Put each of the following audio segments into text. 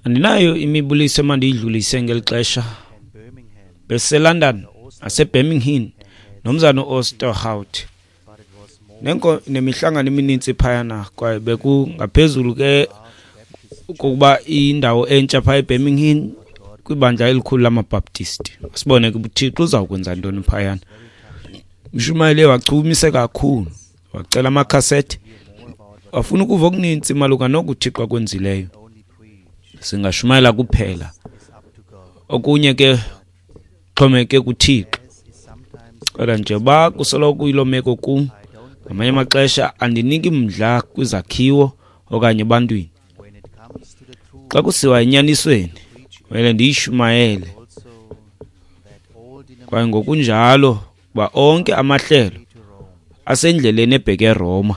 Andinayo imibuliso emandiyidlulise ngeli xesha. BesiseLondon naseBirmingham nomzana uOsterhout. Nemihlangano emininzi phayana, kwaye bekungaphezulu ke kokuba indawo entsha phaya eBirmingham kwibandla elikhulu lamaBaptisti. Sibone ke uThixo uzawukwenza ntoni phayana. Umshumayeli wachumise kakhulu, wacela amakhasethi, wafuna ukuva okuninzi malunga noku uThixo akwenzileyo. Singashumayela kuphela, okunye ke xhomeke kuThixo. Kodwa njengoba kusoloko kuyiloo meko kum, ngamanye amaxesha andiniki mdla kwizakhiwo okanye ebantwini. Xa kusiwa enyanisweni, kumele ndiyishumayele, kwaye ngokunjalo uba onke amahlelo asendleleni ebheke eRoma.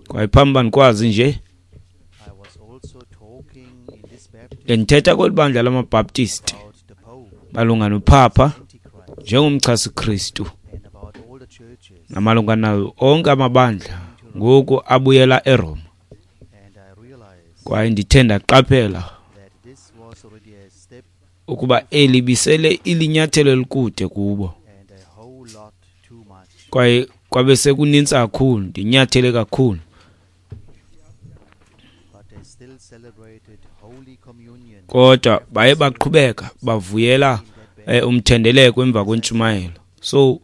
Kwaye phambi uba ndikwazi nje, bendithetha kweli bandla lamaBaptisti malunga noPapa njengomchasi-Kristu namalunga nawo onke amabandla ngoku abuyela eRoma. Kwaye ndithe ndaqaphela ukuba eli bisele ilinyathelo elikude kubo, kwaye kwabe sekuninzi kakhulu, ndinyathele kakhulu. Kodwa baye baqhubeka bavuyela umthendeleko emva kwentshumayelo. So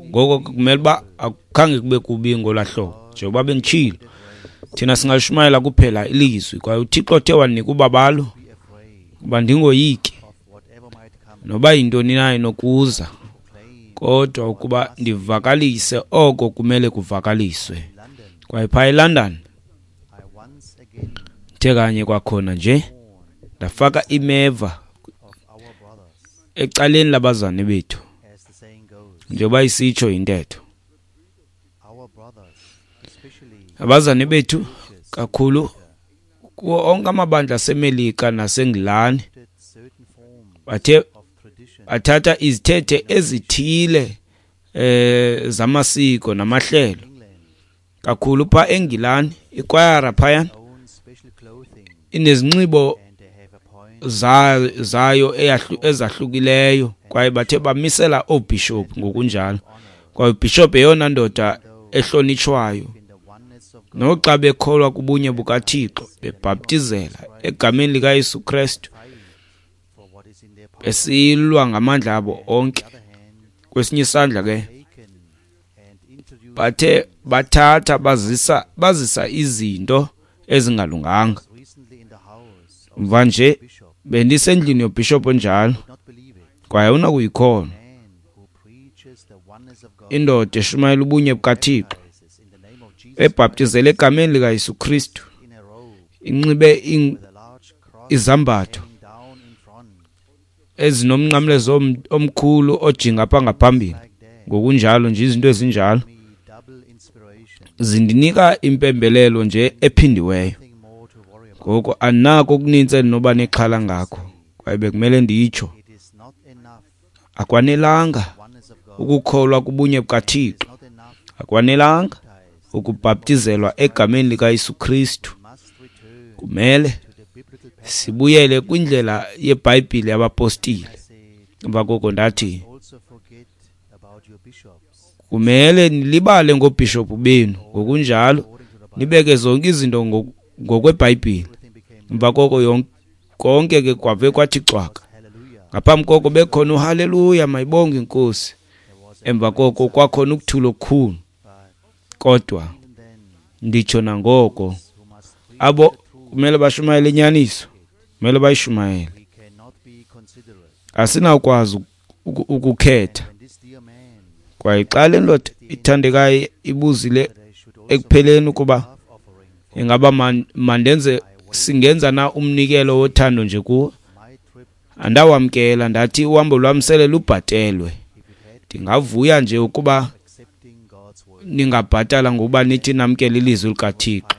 ngoko kumele uba akukhange kube kubi ngolaa hlobo, njengoba benditshilo, thina singashumayela kuphela ilizwi, kwaye uThixo othe wanika ubabalo uba ndingoyiki noba yintoni na inokuza, kodwa ukuba ndivakalise oko kumele kuvakaliswe. Kwaye phaa eLondon ndithe kanye kwakhona nje ndafaka imeva ecaleni labazane bethu, njengoba isitsho intetho. Abazane bethu kakhulu kuwo onke amabandla aseMelika naseNgilani bathe bathatha izithethe ezithile zamasiko namahlelo. Kakhulu pha eNgilani ikwayara phayana inezinxibo zayo ezahlukileyo, kwaye bathe bamisela oobhishophu ngokunjalo. Kwaye ubhishophu yeyona ndoda ehlonitshwayo, noxa bekholwa kubunye bukaThixo, bebhaptizela egameni likaYesu Kristu, besilwa ngamandla abo onke. Kwesinye isandla ke bathe bathatha bazisa izinto ezingalunganga. Mva nje bendisendlini yobhishophu onjalo, kwaye awunakuyikholwa indoda eshumayela ubunye bukaThixo, ebhaptizele egameni likaYesu Kristu, inxibe izambatho ezinomnqamlezo omkhulu ojinga apha ngaphambili, ngokunjalo nje izinto ezinjalo zindinika impembelelo nje ephindiweyo. Ngoko andinako okuninzi endinoba nexhala ngakho, kwaye bekumele nditsho, akwanelanga ukukholwa kubunye bukaThixo, akwanelanga ukubhaptizelwa egameni likaYesu Kristu. Kumele sibuyele kwindlela yeBhayibhile yabapostile. Emva koko ndathi, kumele nilibale ngoobhishophu benu, ngokunjalo nibeke zonke izinto ngokweBhayibhile. Emva koko konke ke kwave kwathi cwaka. Ngaphambi koko bekhona uhaleluya, mayibonge iNkosi. Emva koko kwakhona ukuthula okukhulu. Kodwa nditsho nangoko, abo kumele bashumayele inyaniso, kumele bayishumayele. Asinawukwazi ukukhetha. Kwaye xa le ndoda ithandekayo ibuzile ekupheleni ukuba ingaba mandenze singenza na umnikelo wothando nje kuwo, andawamkela. Ndathi uhambo lwam sele lubhatelwe, ndingavuya nje ukuba ningabhatala ngokuba nithi namkele ilizwi likaThixo.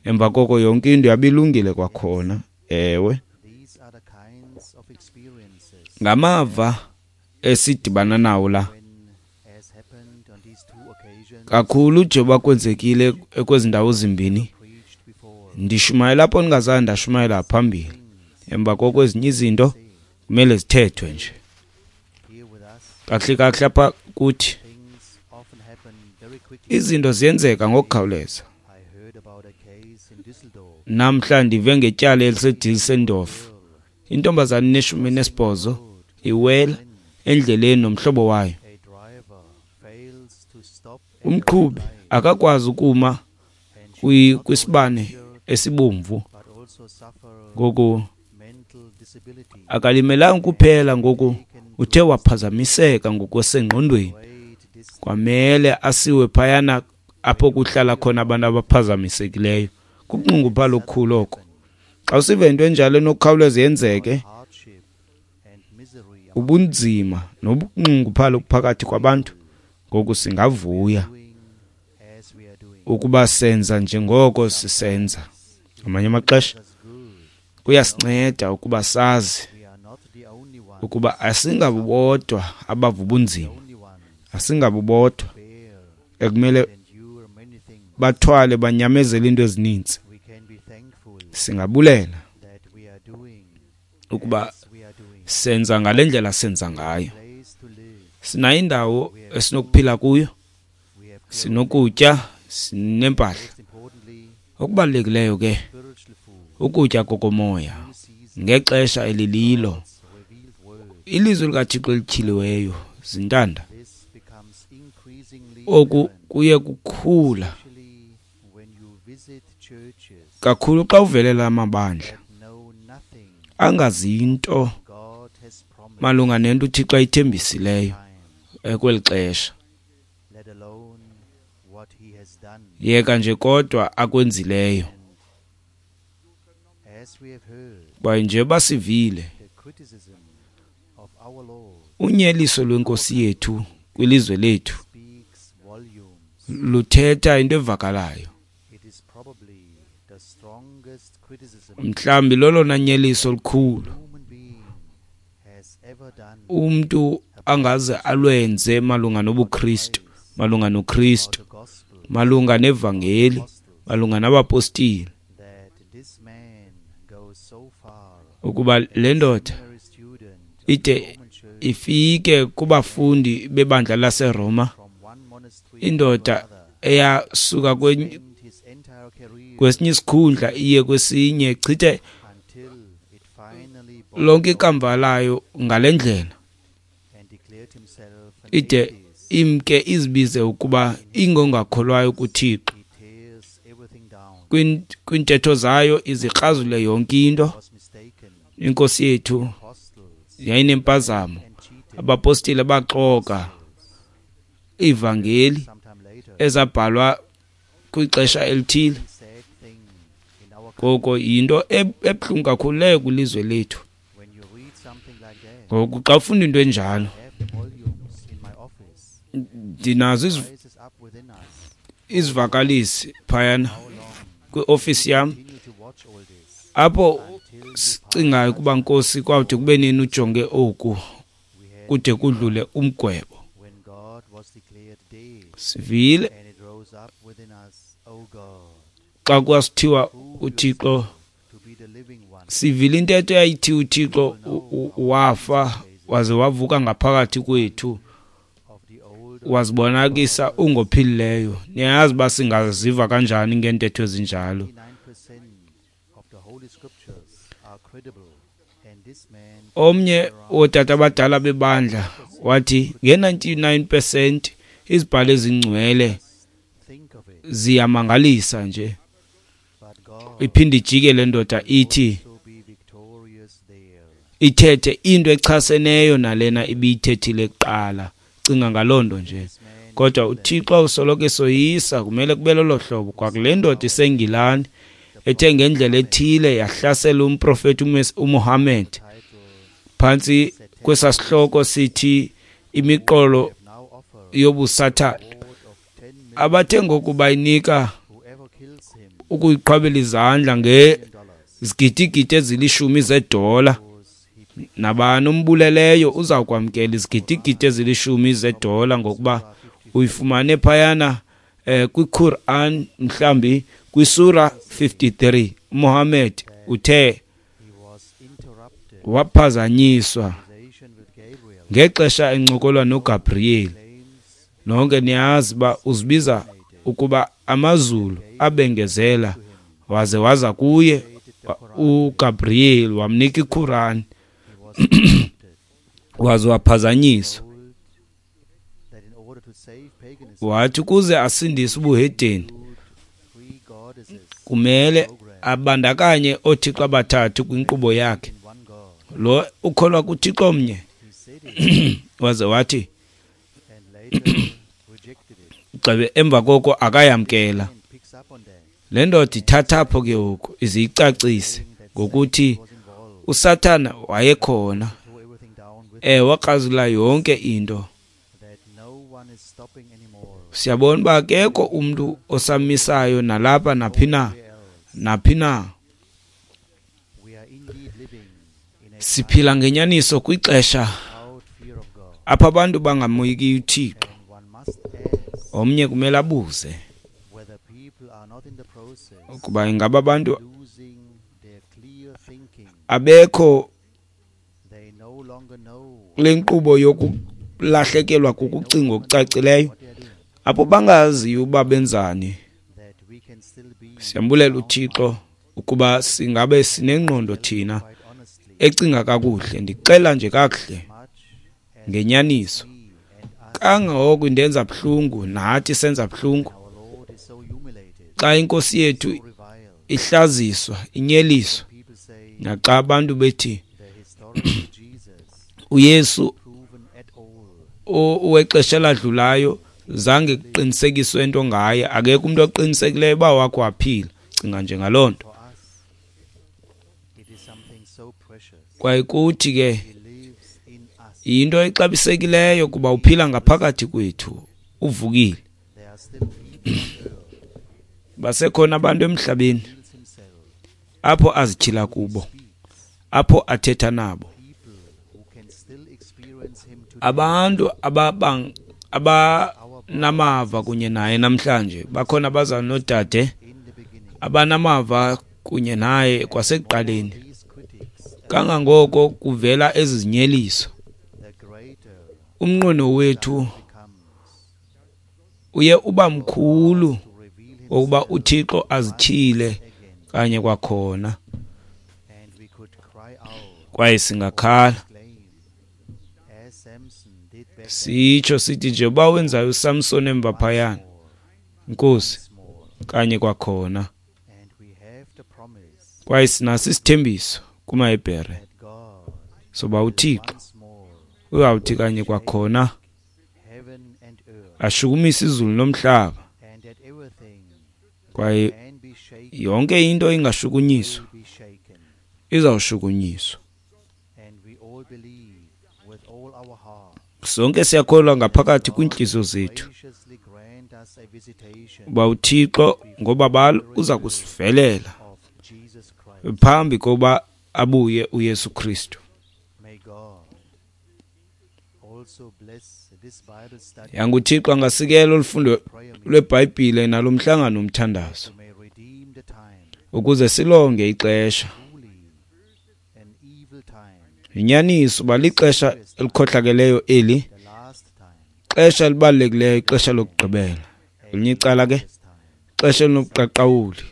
Emva koko yonke into yabilungile kwakhona. Ewe, ngamava esidibana nawo la. Kakhulu njengoba kwenzekile kwezi ndawo zimbini, ndishumayela apho ndingazange ndashumayela phambili. Emva koko ezinye izinto kumele zithethwe nje. Kakuhle kakuhle apha kuthi izinto ziyenzeka ngokukhawuleza. Namhla ndive ngetyala eliseDusseldorf. Intombazana ene-18 iwela endleleni nomhlobo wayo. Umqhubi akakwazi ukuma kwisibane esibomvu, ngoku akalimelanga kuphela, ngoku uthe waphazamiseka ngokwasengqondweni, kwamele asiwe phayana apho kuhlala khona abantu abaphazamisekileyo. Kukunxunguphala okukhulu oko. Xa usiva into enjalo enokukhawuleza yenzeke, ubunzima nobunxunguphala obuphakathi kwabantu, ngoku singavuya ukuba senza njengoko sisenza. Ngamanye amaxesha kuyasinceda ukuba sazi ukuba asingabodwa abava ubunzima, asingabodwa ekumele bathwale banyamezele into ezininzi. Singabulela ukuba senza ngale ndlela senza ngayo. Sinayo indawo esinokuphila kuyo, sinokutya, sinempahla. Okubalulekileyo ke ukutya kokomoya ngexesha elililo, ilizwi likaThixo elityhiliweyo, zintanda. Oku kuye kukhula kakhulu xa uvelela amabandla angazinto malunga nento uThixo ayithembisileyo kweli xesha. Yeka nje kodwa akwenzileyo. Kwaye nje basivile unyeliso lwenkosi yethu kwilizwe lethu luthetha into evakalayo. Mhlawumbi lolona nyeliso olukhulu umntu angaze alwenze malunga nobuKristu, malunga noKristu, malunga nevangeli, malunga nabapostile, ukuba le ndoda ide ifike kubafundi bebandla laseRoma, indoda eyasuka kwesinye isikhundla iye kwesinye, chithe lonke ikamva layo ngale ndlela, ide imke izibize ukuba ingongakholwayo kuThixo. Kwintetho zayo izikrazule yonke into. Inkosi yethu yayinempazamo, abapostile baxoka ivangeli ezabhalwa kwixesha elithile. Ngoko yinto ebuhlungu kakhulu leyo kwilizwe lethu. Ngoku xa ufunda into enjalo, ndinazo izivakalisi phayana kwiofisi yam apho sicingayo ukuba Nkosi kwawude kube nini ujonge oku kude kudlule umgwebo. Sivile xa kwasithiwa uThixo, sivile intetho eyayithi uThixo wafa waze wavuka ngaphakathi kwethu, wazibonakisa ungophilileyo. Niyayazi uba singaziva kanjani ngeentetho ezinjalo. Omnye wootata abadala bebandla wathi nge-99% izibhalo ezingcwele ziyamangalisa nje. Iphinde ijike le ndoda ithi ithethe into echaseneyo nalena ibiyithethile kuqala. Cinga ngaloo nto nje. Kodwa uThixo usoloko esoyisa, kumele kube lolo hlobo. Kwakule ndoda iseNgilani ethe ngendlela ethile yahlasela umprofeti uMuhammad phantsi kwesasihloko sithi imiqolo yobusathana, abathe ngoku bayinika ukuyiqhwabela izandla ngezigidigidi ezilishumi zedola. Nabani ombuleleyo uza kwamkela izigidigidi ezilishumi zedola ngokuba uyifumane phayana kwiQuran mhlambi kwisura 53 uMuhammad uthe waphazanyiswa ngexesha encokola noGabriel. Nonke niyazi uba uzibiza ukuba amazulu abengezela, waze waza kuye uGabriel wamnika iQuran waze waphazanyiswa. Wathi ukuze asindise ubuhedeni kumele abandakanye oothixo abathathu kwinkqubo yakhe. Lo ukholwa kuThixo mnye waze wathi gxebe emva koko akayamkela. Le ndoda ithatha apho ke ngoku iziyicacise ngokuthi uSathana wayekhona, wakrazula yonke into. Siyabona uba akekho umntu osamisayo nalapha naphi na. Siphila ngenyaniso kwixesha apho abantu bangamoyiki uThixo. Omnye kumele abuze ukuba ingaba abantu abekho kule nkqubo yokulahlekelwa kukucinga okucacileyo, apho bangaziyo uba benzani. Siyambulela uThixo ukuba singabe sinengqondo thina ecinga kakuhle. Ndixela nje kakuhle ngenyaniso, kangangoko indenza buhlungu, nathi senza buhlungu xa inkosi yethu ihlaziswa, inyeliswa, naxa abantu bethi uYesu wexesha eladlulayo zange kuqinisekiswe into ngaye, akekho umuntu oqinisekileyo uba wakho waphila. Cinga nje ngaloo nto. Kwaye kuthi ke yinto exabisekileyo kuba uphila ngaphakathi kwethu, uvukile. Basekhona abantu emhlabeni apho azityhila kubo, apho athetha nabo, abantu abanamava kunye naye namhlanje. Bakhona abazalwana noodade abanamava kunye naye kwasekuqaleni. Kangangoko kuvela ezi zinyeliso, umnqweno wethu uye uba mkhulu wokuba uThixo azityhile kanye kwakhona, kwaye singakhala sitsho sithi nje uba wenzayo uSamson emva phayana, Nkosi, kanye kwakhona. Kwaye sinaso isithembiso kumaHebhere soba uThixo uyawuthi kanye kwakhona ashukumise izulu nomhlaba, kwaye yonke into ingashukunyiswa izawushukunyiswa. Sonke siyakholwa ngaphakathi kwiintliziyo zethu uba uThixo ngobabalo uza kusivelela phambi kokuba abuye uYesu Kristu. YanguThixo angasikela olufundo lweBhayibhile nalo mhlangano umthandazo ukuze silonge ixesha. Inyaniso uba lixesha elikhohlakeleyo eli, xesha elibalulekileyo, ixesha lokugqibela. Elinye icala ke, ixesha elinobuqaqawuli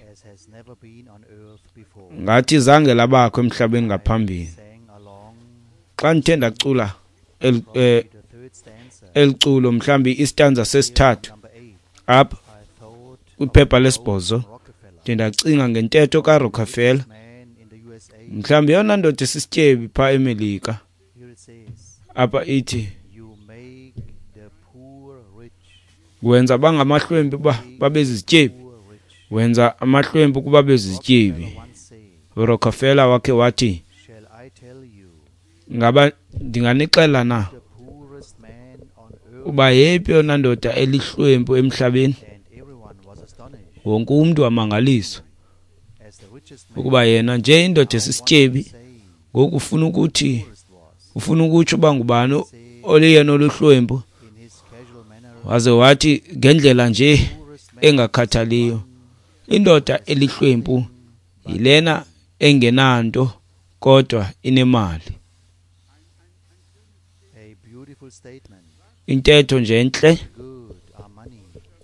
ngathi zange labakho emhlabeni ngaphambili. Xa ndithe ndacula eliculo mhlambi istanza sesithathu apha kwiphepha lesibhozo, ndiye ndacinga ngentetho kaRockefeller, mhlambi yona ndoda esisityebi phaa eMelika. Apha ithi wenza bangamahlwempu uba babe zizityebi, wenza amahlwempu ukuba bezizityebi. uRockefeller wakhe wathi, ngaba ndinganixela na uba yeyiphi yona ndoda elihlwempu emhlabeni? Wonke umntu wamangaliswa ukuba yena nje indoda esisityebi ngoku ufuna ukuthi ufuna ukutsho uba ngubani oliyena oluhlwempu. Waze wathi ngendlela nje engakhathaliyo. Indoda elihlwempu yilena engenanto kodwa inemali. Intetho nje entle.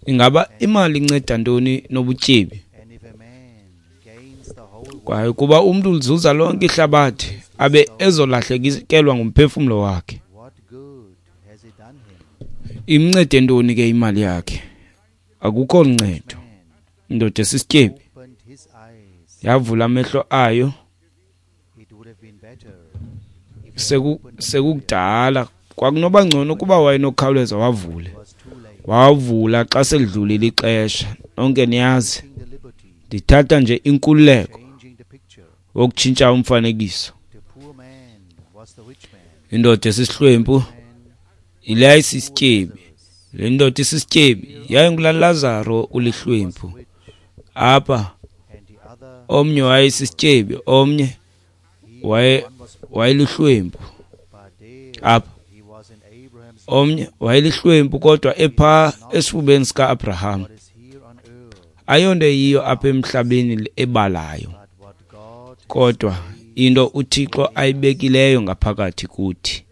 Ingaba imali inceda ntoni nobutyebi? Kwaye kuba umntu ulizuza lonke ihlabathi abe ezolahlekelwa ngumphefumlo wakhe, imncede ntoni ke imali yakhe? Akukho luncedo. Indoda esisityebi yavula amehlo ayo sekukudala. Kwakunoba ngcono ukuba wayenokhawuleza wavule. Wavula xa selidlulile ixesha. Nonke niyazi, ndithatha nje inkululeko wokutshintsha umfanekiso. Indoda esisihlwempu yile yayisisityebi. Le ndoda isisityebi yayingulaa Lazaro ulihlwempu. Apha omnye wayesisityebi, omnye wayelihlwempu. Apha omnye wayelihlwempu kodwa epha esifubeni sika-Abraham. Ayonto eyiyo apha emhlabeni ebalayo, kodwa into uThixo ayibekileyo ngaphakathi kuthi.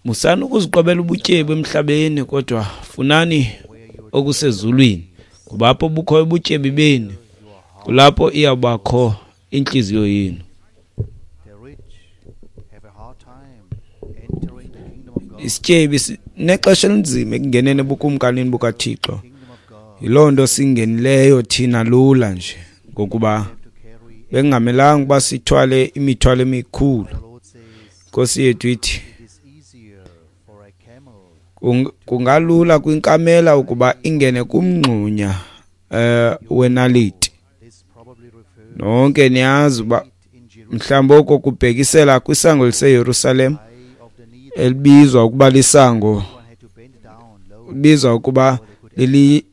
Musani ukuziqwebela ubutyebi emhlabeni, kodwa funani okusezulwini, ngoba apho bukhoyo ubutyebi benu, kulapho iyawubakho intliziyo yenu. Isityebi sinexesha elinzima ekungeneni ebukumkanini bukaThixo. Yiloo nto singenileyo thina lula nje, ngokuba bekungamelanga ukuba sithwale imithwalo emikhulu. Inkosi yethu ithi kungalula kwinkamela ukuba ingene kumngxunya wenaliti. Nonke niyazi uba mhlawumbi oko kubhekisela kwisango liseYerusalem elibizwa ukuba lisango, libizwa ukuba lili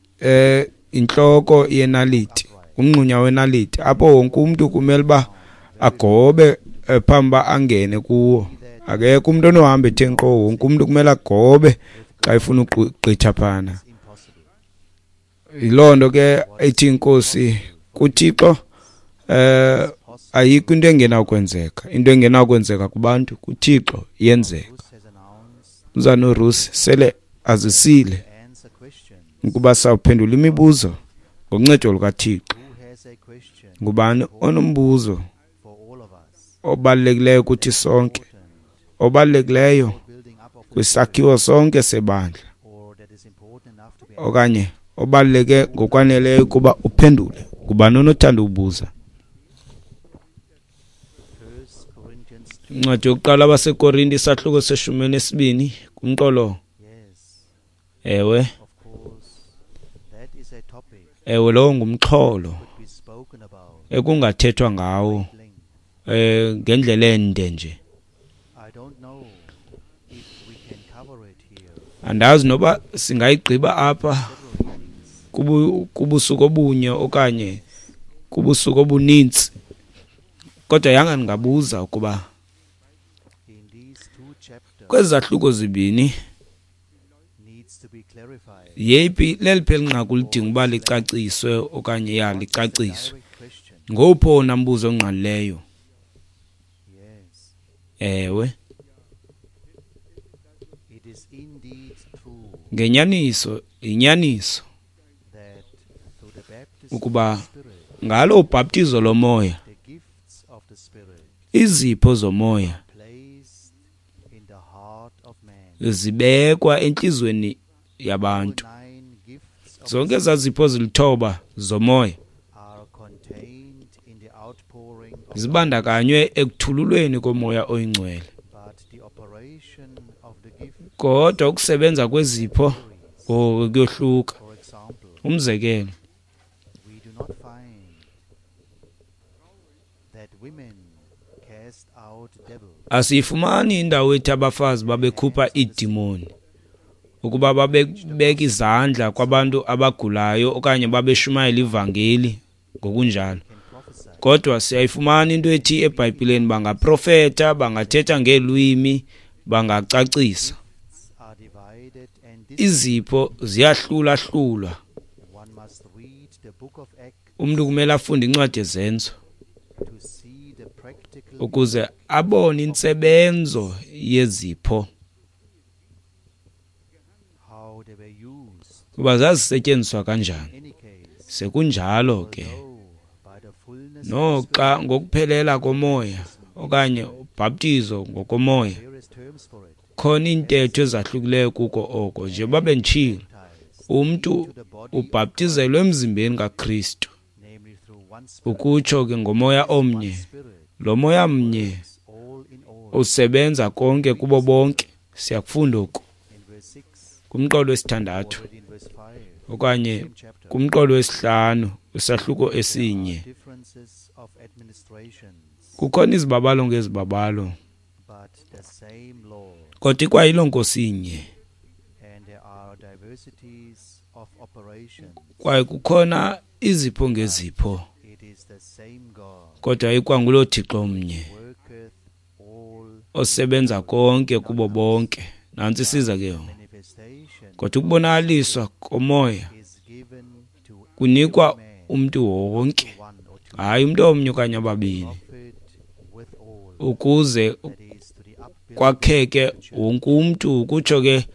intloko yenaliti, umngxunya wenaliti, apho wonke umntu kumele uba agobe phambi uba angene kuwo. Akekho umntu onohamba ethe nkqo, wonke umntu kumele agobe xa efuna ukugqitha phana. Yiloo nto ke ethi inkosi kuThixo ayikho into engenakwenzeka. Into engenakwenzeka kubantu kuThixo iyenzeka. Umzana uRusi sele azisile ukuba sawuphendula imibuzo ngoncedo lukaThixo. Ngubani onombuzo obalulekileyo kuthi sonke, obalulekileyo kwisakhiwo sonke sebandla, okanye obaluleke ngokwaneleyo ukuba uphendule? Ngubani onothanda ubuza? Incwadi yokuqala abaseKorinte isahluko se-12 kumqolo. Ewe, ewe, lowo ngumxholo ekungathethwa ngawo ngendlela ende nje. Andazi noba singayigqiba apha kubusuku obunye okanye kubusuku obunintsi, kodwa yanga ndingabuza ukuba kwezi zahluko zibini yeyiphi leliphi elinqaku lidinga uba licaciswe okanye ya licaciswe? Ngowuphi owona mbuzo ongqalileyo? Ewe, ngenyaniso yinyaniso ukuba ngalo ubhaptizo lomoya, izipho zomoya zibekwa entliziyweni yabantu. Zonke ezaa zipho zilithoba zomoya zibandakanywe ekuthululweni komoya oyingcwele. Kodwa ukusebenza kwezipho kuyohluka. Umzekelo, asiyifumani indawo ethi abafazi babekhupha iidimoni ukuba babebeka izandla kwabantu abagulayo okanye babeshumayela ivangeli ngokunjalo. Kodwa siyayifumana into ethi eBhayibhileni bangaprofeta, bangathetha ngeelwimi, bangacacisa. Izipho ziyahlulahlulwa. Umntu kumele afunde incwadi yeZenzo ukuze abone intsebenzo yezipho, kuba zazisetyenziswa kanjani. Sekunjalo ke, noxa ngokuphelela komoya okanye ubhaptizo ngokomoya, khona iintetho ezahlukileyo kuko oko. Njengoba benditshilo, umntu ubhaptizelwe emzimbeni kaKristu, ukutsho ke ngomoya omnye. Lo moya mnye usebenza konke kubo bonke. Siyakufunda oku kumqolo wesithandathu okanye kumqolo wesihlanu kwisahluko esinye. Kukhona izibabalo ngezibabalo, kodwa ikwayiloo Nkosi inye. Kwaye kukhona izipho ngezipho, kodwa ikwanguloo Thixo mnye osebenza konke kubo bonke. Nantsi isiza ke yona. Kodwa ukubonakaliswa komoya kunikwa umntu wonke, hayi umntu omnye okanye ababini, ukuze kwakheke wonke umntu, ukutsho ke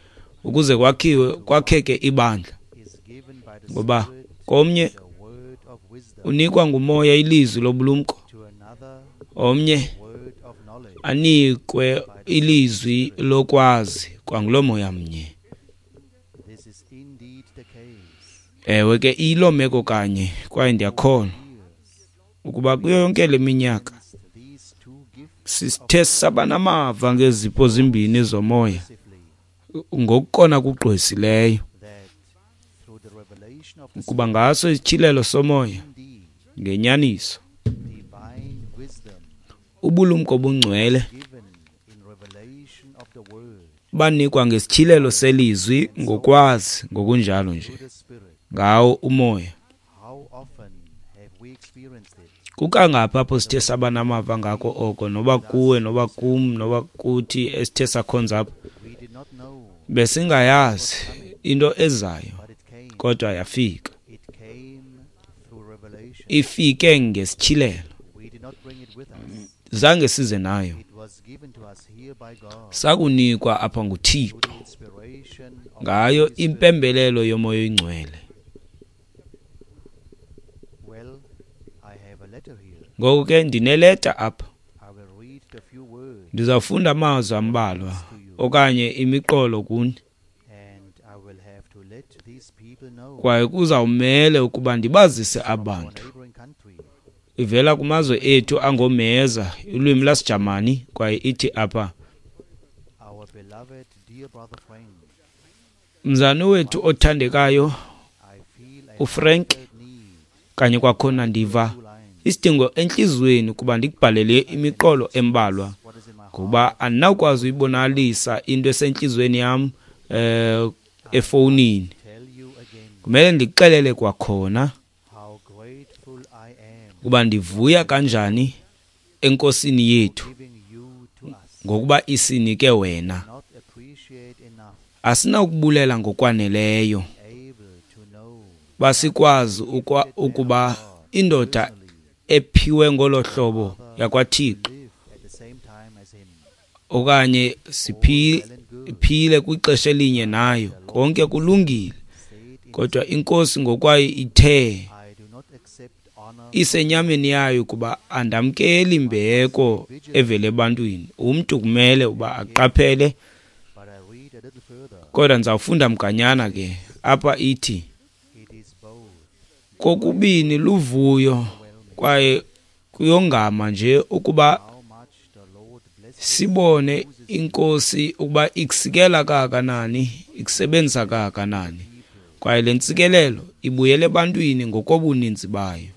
ukuze kwakhiwe kwakheke ibandla. Ngoba komnye unikwa ngumoya ilizwi lobulumko, omnye anikwe ilizwi lokwazi kwangulo moya mnye. Ewe ke, iyiloo meko kanye, kwaye ndiyakholwa ukuba kuyo yonke le minyaka sithe saba namava ngezipho zimbini zomoya ngokukona kugqwesileyo, kuba ngaso isityhilelo somoya ngenyaniso ubulumko obungcwele banikwa ngesityhilelo selizwi ngokwazi ngokunjalo nje ngawo umoya. Kukangaphi apho sithe saba namava ngako oko, noba kuwe noba kum noba kuthi esithe sakhonza apha, besingayazi into ezayo, kodwa yafika. Ifike ngesityhilelo, zange size nayo, sakunikwa apha nguThixo ngayo impembelelo yomoya oyingcwele. Ngoku ke ndineleta apha, ndizawufunda amazwi ambalwa okanye imiqolo kuni, kwaye kuzawumele ukuba ndibazise abantu. Ivela kumazwe ethu angomeza, ulwimi lwasiJamani, kwaye ithi apha: Mzane wethu othandekayo uFrank, kanye kwakhona ndiva isidingo entliziyweni ukuba ndikubhalele imiqolo embalwa, ngoba andinawukwazi uyibonakalisa into esentliziyweni yam efowunini. Kumele ndikuxelele kwakhona ukuba ndivuya kanjani eNkosini yethu ngokuba isinike wena. Asinakubulela ngokwaneleyo basikwazi ukuba indoda ephiwe ngolo hlobo yakwaThixo okanye siphile kwixesha elinye nayo, konke kulungile, kodwa iNkosi ngokwayo ithe isenyameni yayo kuba andamkeli imbeko evele ebantwini. Umntu kumele uba aqaphele, kodwa ndizawufunda mganyana ke apha. Ithi kokubini luvuyo kwaye kuyongama nje ukuba sibone iNkosi ukuba ikusikela kangakanani, ikusebenzisa kangakanani, kwaye le ntsikelelo ibuyele ebantwini ngokobuninzi bayo.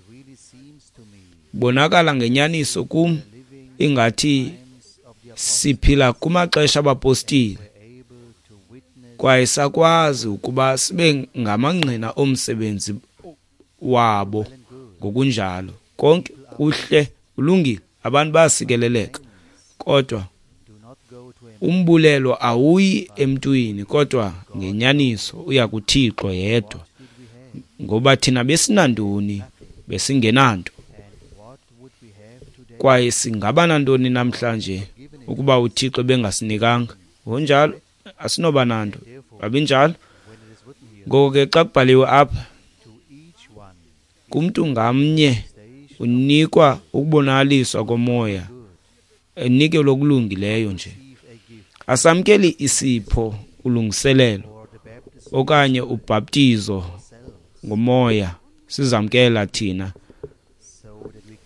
Bonakala ngenyaniso kum ingathi siphila kumaxesha abapostile, kwaye sakwazi ukuba sibe ngamangqina omsebenzi wabo ngokunjalo. Konke kuhle, kulungile, abantu bayasikeleleka, kodwa Umbulelo awuyi emntwini, kodwa ngenyaniso uya kuThixo yedwa. Ngoba thina besinantoni? Besingenanto. Kwaye singaba nantoni namhlanje ukuba uThixo bengasinikanga? Ngokunjalo asinoba nanto. Babinjalo. Ngoko ke xa kubhaliwe apha, kumntu ngamnye unikwa ukubonakaliswa komoya, enikelwe okulungileyo nje. Asamkeli isipho, ulungiselelo okanye ubhaptizo ngomoya, sizamkela thina.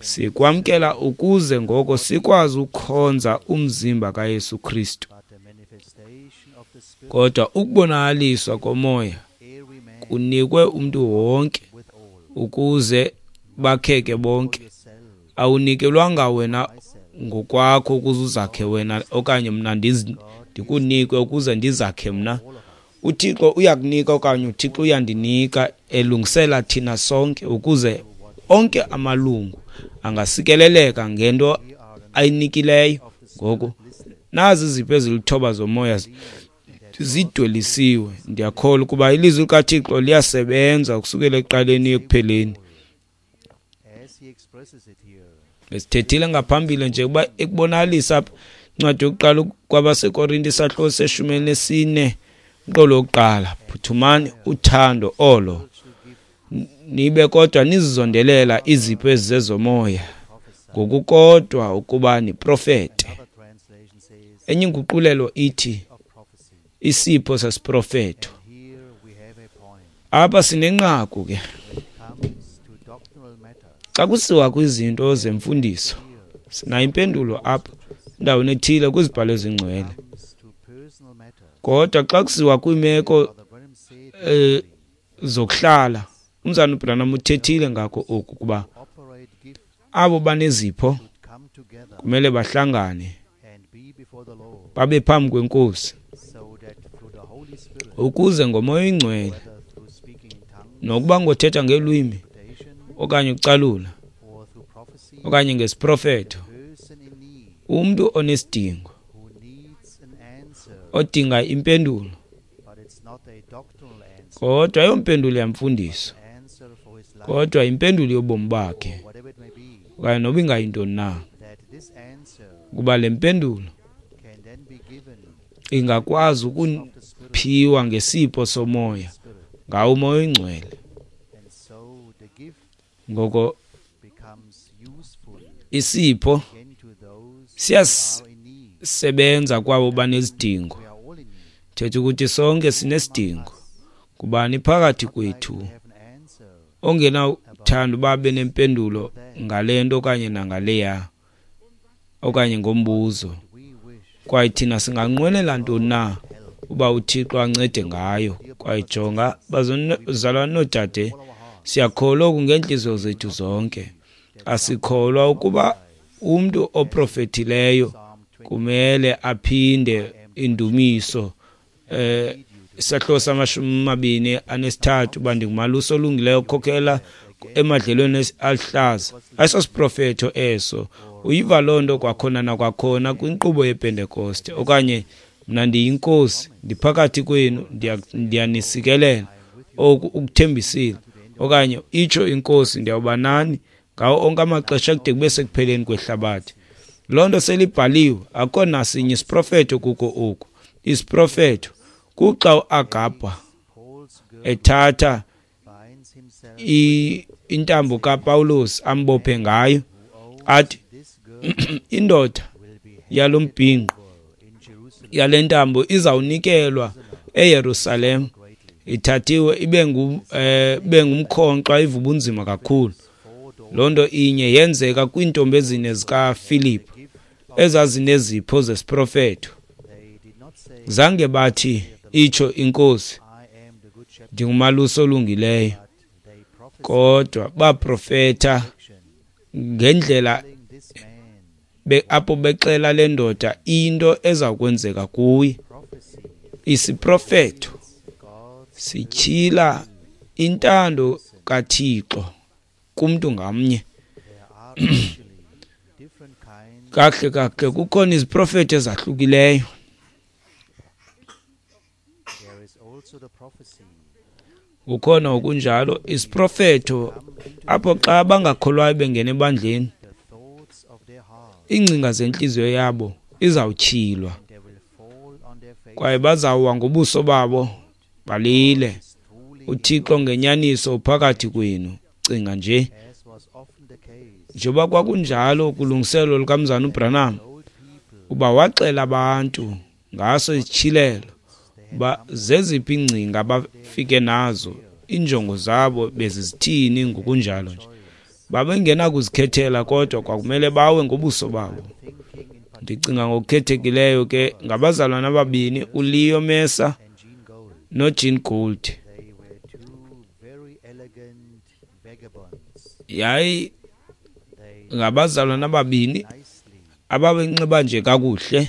Sikwamkela ukuze ngoko sikwazi ukukhonza umzimba kaYesu Kristu. Kodwa ukubonakaliswa komoya kunikwe umntu wonke ukuze bakheke bonke. Awunikelwanga wena ngokwakho ukuze uzakhe wena, okanye mna ndikunikwe ukuze ndizakhe mna. UThixo uyakunika okanye uThixo uyandinika, elungisela thina sonke ukuze onke amalungu angasikeleleka ngento ayinikileyo. Ngoku nazi izipho ezilithoba zomoya zidwelisiwe. Ndiyakholwa ukuba ilizwi likaThixo liyasebenza ukusukela ekuqaleni ekupheleni. Besithethile ngaphambili nje ukuba ekubonakalisa apha incwadi yokuqala kwabaseKorinte isahluko se-14 umqolo wokuqala, phuthumani uthando olo nibe kodwa nizizondelela izipho ezizezomoya, ngokukodwa ukuba niprofete. Enye inguqulelo ithi isipho sesiprofeto. Apha sinenqaku ke. Xa kusiwa kwizinto zemfundiso, sinayo impendulo apha endaweni ethile kwizibhalo ezingcwele. Kodwa xa kusiwa kwiimeko zokuhlala, umzalwana uBranham uthethile ngako oku, kuba abo banezipho kumele bahlangane babe phambi kweNkosi, ukuze ngoMoya oyiNgcwele, nokuba ngothetha ngeelwimi okanye ucalula okanye ngesiprofeto, umntu onesidingo odinga impendulo, kodwa ayompendulo yamfundiso, kodwa impendulo yobomi bakhe, okanye noba ingayintoni na, kuba le mpendulo ingakwazi ukuphiwa ngesipho somoya ngawo uMoya oyiNgcwele. Ngoko isipho siyasebenza kwabo banezidingo. Thetha ukuthi sonke sinesidingo. Kubani phakathi kwethu ongenawuthanda uba abe nempendulo ngale nto okanye nangaleya okanye ngombuzo? Kwaye thina singanqwenela ntoni na uba uThixo ancede ngayo? Kwaye jonga, bazalwane noodade, siyakholwa oku ngeentliziyo zethu zonke. Asikholwa ukuba umntu oprofethileyo kumele aphinde indumiso isahluko sama-23, uba ndingumalusi olungileyo okhokhela emadlelweni aluhlaza. Ayisosiprofetho eso. Uyiva loo nto kwakhona nakwakhona kwinkqubo yePentekoste. Okanye mna ndiyinkosi, ndiphakathi kwenu, ndiyanisikelela, oku ukuthembisile. Okanye itsho inkosi, ndiyawuba nani ngawo onke amaxesha kude kube sekupheleni kwehlabathi. Loo nto selibhaliwe, akukho nasinye isiprofetho kuko oku. Isiprofetho kuxa uAgabha ethatha intambo kaPawulos ambophe ngayo, athi indoda yalo mbhinqo yale ntambo izawunikelwa eYerusalem, ithathiwe ibe ngumkhonkxwa, iva ubunzima kakhulu. Loo nto inye yenzeka kwiintombi ezine zikaFilip ezazinezipho zesiprofeto. Zange bathi itsho inkosi, ndingumalusi olungileyo, kodwa baprofeta ngendlela apho bexela le ndoda into eza kwenzeka kuye. Isiprofeto sityhila intando kaThixo kumntu ngamnye. Kahle kahle kukhona iziprofeto ezahlukileyo. Kukhona okunjalo isiprofetho apho xa abangakholwayo bengena ebandleni, iingcinga zentliziyo yabo izawutyhilwa kwaye bazawuwa ngobuso babo balile. UThixo ngenyaniso uphakathi kwenu. Cinga nje, njengoba kwakunjalo kulungiselelo lukaMzana uBranham, uba waxela abantu ngaso isityhilelo uba zeziphi iingcinga abafike nazo, iinjongo zabo bezizithini ngokunjalo nje. Babengenakuzikhethela kodwa kwakumele bawe ngobuso babo. Ndicinga ngokukhethekileyo ke ngabazalwana ababini, uLeo Mercer noJean Gould. Yayi ngabazalwana ababini ababenxiba nje kakuhle,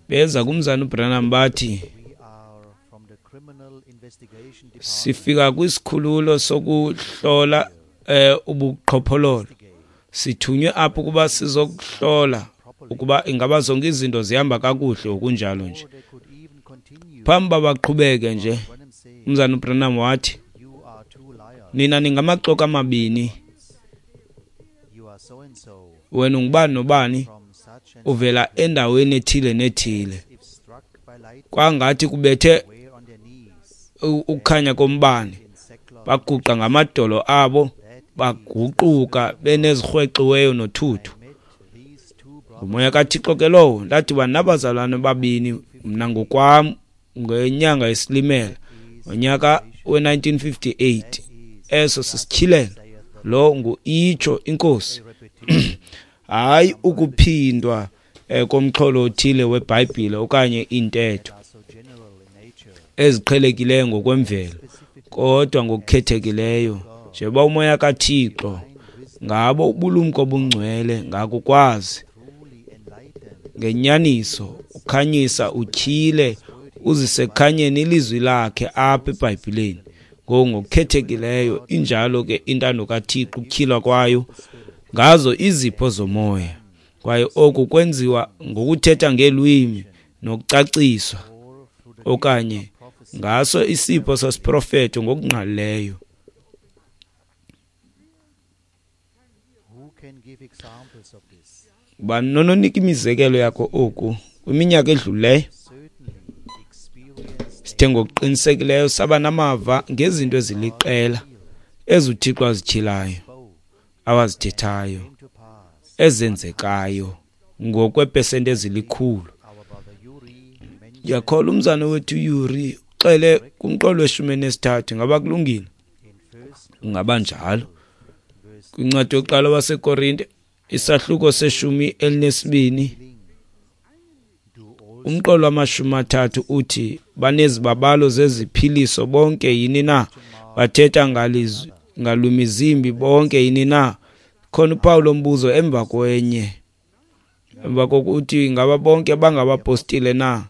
beza kumzana uBranham bathi, sifika kwisikhululo sokuhlola ubuqhophololo, sithunywe apho ukuba sizokuhlola ukuba ingaba zonke izinto zihamba kakuhle okunjalo nje. Phambi babaqhubeke nje, umzana uBranham wathi, nina ningamaxoki amabini, wena ungubani nobani, uvela endaweni ethile nethile. Kwangathi kubethe ukukhanya kombane, baguqa ngamadolo abo, baguquka benezirhwexiweyo nothuthu. Ngumoya kaThixo ke lowo. Ndadibana nabazalwane babini mna ngokwam ngenyanga yeSilimela ngonyaka we-1958. Eso sisityhilelo, lo ngu-itsho inkosi. Hayi ukuphindwa komxholo othile weBhayibhile okanye iintetho eziqhelekileyo ngokwemvelo, kodwa ngokukhethekileyo njengoba umoya kaThixo ngabo ubulumko obungcwele ngakukwazi ngenyaniso ukhanyisa utyhile uzise ekukhanyeni ilizwi lakhe apha eBhayibhileni. Ngoku ngokukhethekileyo injalo ke intando kaThixo ukutyhilwa kwayo ngazo izipho zomoya, kwaye oku kwenziwa ngokuthetha ngeelwimi nokucaciswa okanye ngaso isipho sesiprofeto ngokungqalileyo. Ngubani nononika imizekelo yako oku? Kwiminyaka edlulileyo sithe ngokuqinisekileyo saba namava ngezinto eziliqela ezuThixo azityhilayo, awazithethayo, ezenzekayo ngokwepesenti ezilikhulu. Ndiyakholwa umzana wethu Yuri uxele kumqolo we-13. Ngaba kulungile? Kungaba njalo. Kwincwadi yokuqala waseKorinte isahluko se-12, umqolo wama-30 uthi, banezibabalo zeziphiliso bonke yini na? Bathetha ngalwimi zimbi bonke yini na? Khona uphawu lombuzo emva kwenye. Emva kokuthi ingaba bonke bangabapostile na?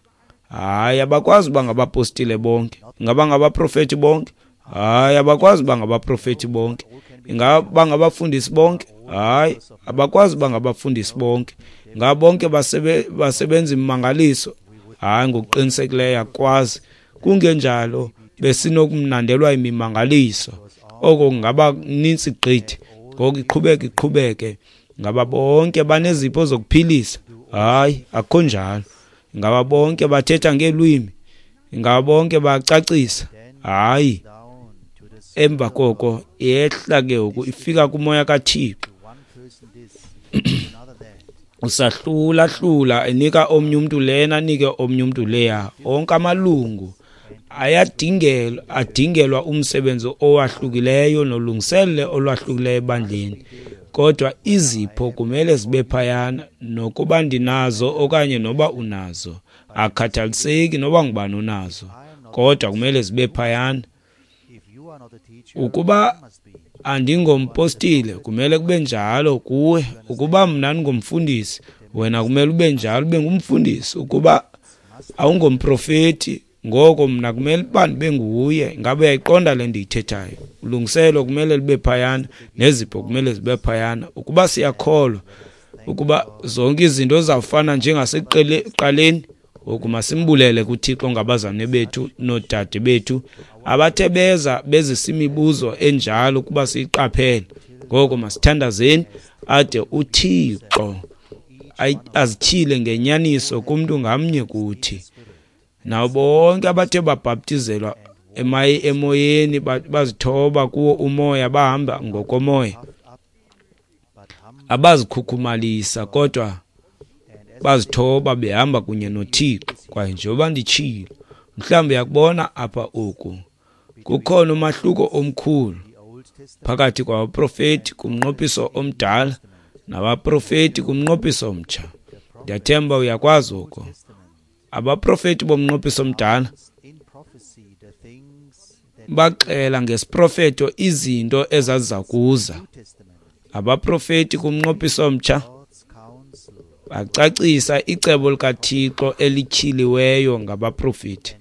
Hayi, abakwazi uba ngabapostile bonke. Ingaba ngabaprofeti bonke? Hayi, abakwazi uba ngabaprofeti bonke. Ingaba bangabafundisi bonke? Hayi, abakwazi uba ngabafundisi bonke. Ingaba bonke basebenza imimangaliso? Hayi, ngokuqinisekileyo akwazi. Kungenjalo besinokumnandelwa imimangaliso. Oko kungaba nintsi gqithi. Ngoku iqhubeke iqhubeke. Ngaba bonke banezipho zokuphilisa? Hayi, akukho njalo. Ngaba bonke bathetha ngeelwimi? Ngaba bonke bacacisa? Hayi. Emva koko yehla ke ngoku ifika kumoya kaThixo. Usahlula-hlula enika omnye umntu lena, anike omnye umntu leya. Onke amalungu adingelwa umsebenzi owahlukileyo nolungiselelo olwahlukileyo ebandleni. Kodwa izipho kumele zibe phayana, nokuba ndinazo okanye noba unazo, akukhathaliseki noba ngubani onazo, kodwa kumele zibe phayana. Ukuba andingompostile, kumele kube njalo kuwe. Ukuba mna ndingumfundisi, wena kumele ube njalo, ube ngumfundisi. Ukuba awungomprofeti, ngoko mna kumele uba ndibe nguye. Ngabe uyayiqonda le ndiyithethayo? Ulungiselo kumele libe phayana, nezipho kumele zibe phayana. Ukuba siyakholwa ukuba zonke izinto zizawufana njengasekuqaleni, Ngoku masimbulele kuThixo ngabazalwane bethu noodade bethu abathe beza bezisa imibuzo enjalo ukuba siyiqaphele. Ngoko masithandazeni ade uThixo azityhile ngenyaniso kumntu ngamnye kuthi. Nabo bonke abathe babhaptizelwa emoyeni bazithoba kuwo umoya bahamba ngokomoya, abazikhukhumalisa kodwa bazithoba behamba kunye noThixo. Kwaye njengoba nditshilo, mhlawumbi uyakubona apha oku, kukhona umahluko omkhulu phakathi kwabaprofeti kumnqophiso omdala nabaprofeti kumnqophiso omtsha. Ndiyathemba uyakwazi oko. Abaprofeti bomnqophiso omdala baxela ngesiprofeto izinto ezaziza kuza. Abaprofeti kumnqophiso omtsha bacacisa icebo likaThixo elityhiliweyo ngabaprofeti.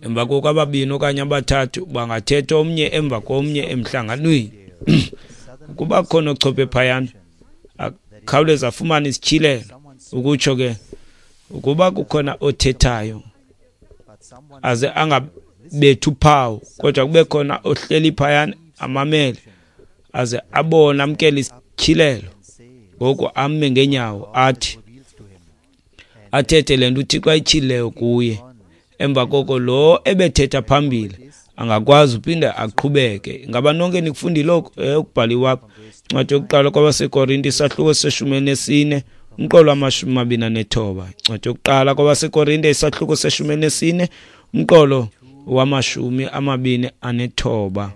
Emva koko ababini okanye abathathu bangathetha omnye emva komnye emhlanganweni. Ukuba khona ochophe phayana akhawuleze afumane isityhilelo, ukutsho ke ukuba kukhona othethayo aze angabethi uphawu, kodwa kube khona ohleli phayana amamele aze abone amkele isityhilelo, ngoku ame ngeenyawo athi athethe le nto uThixo ayityhilileyo kuye. Emva koko lo ebethetha phambili angakwazi uphinde aqhubeke. Ingaba nonke nikufundile oku? Ukubhaliwe apha. Incwadi yokuqala kwabaseKorinte isahluko se-14 umqolo wama-29. Incwadi yokuqala kwabaseKorinte isahluko se-14 umqolo wama-29.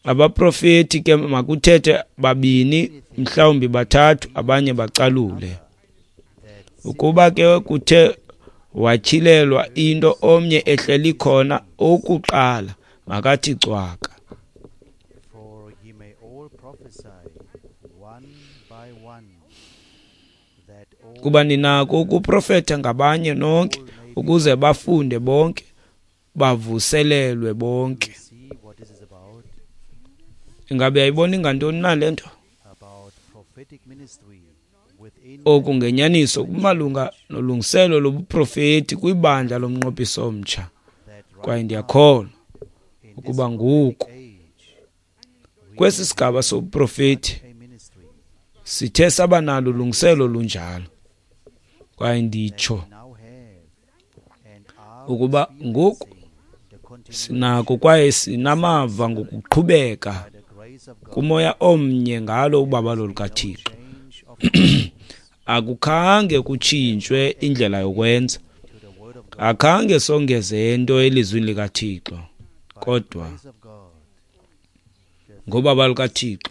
Abaprofeti ke makuthethe babini, mhlawumbi bathathu, abanye bacalule. Ukuba ke kuthe watyhilelwa into omnye ehleli khona okuqala, makathi cwaka. Kuba ninako ukuprofetha ngabanye nonke, ukuze bafunde bonke, bavuselelwe bonke. Ingabe yayibona ingantoni na le nto? Oku ngenyaniso kumalunga nolungiselo lobuprofeti kwibandla lomnqophiso omtsha. Kwaye ndiyakholwa ukuba ngoku kwesi sigaba sobuprofeti sithe saba nalo ulungiselo olunjalo. Kwaye nditsho ukuba ngoku sinako kwaye sinamava ngokuqhubeka kumoya omnye ngalo ubabalo lukaThixo. Akukhange kutshintshwe indlela yokwenza, akhange songeze nto elizwini likaThixo, kodwa ngobabalo lukaThixo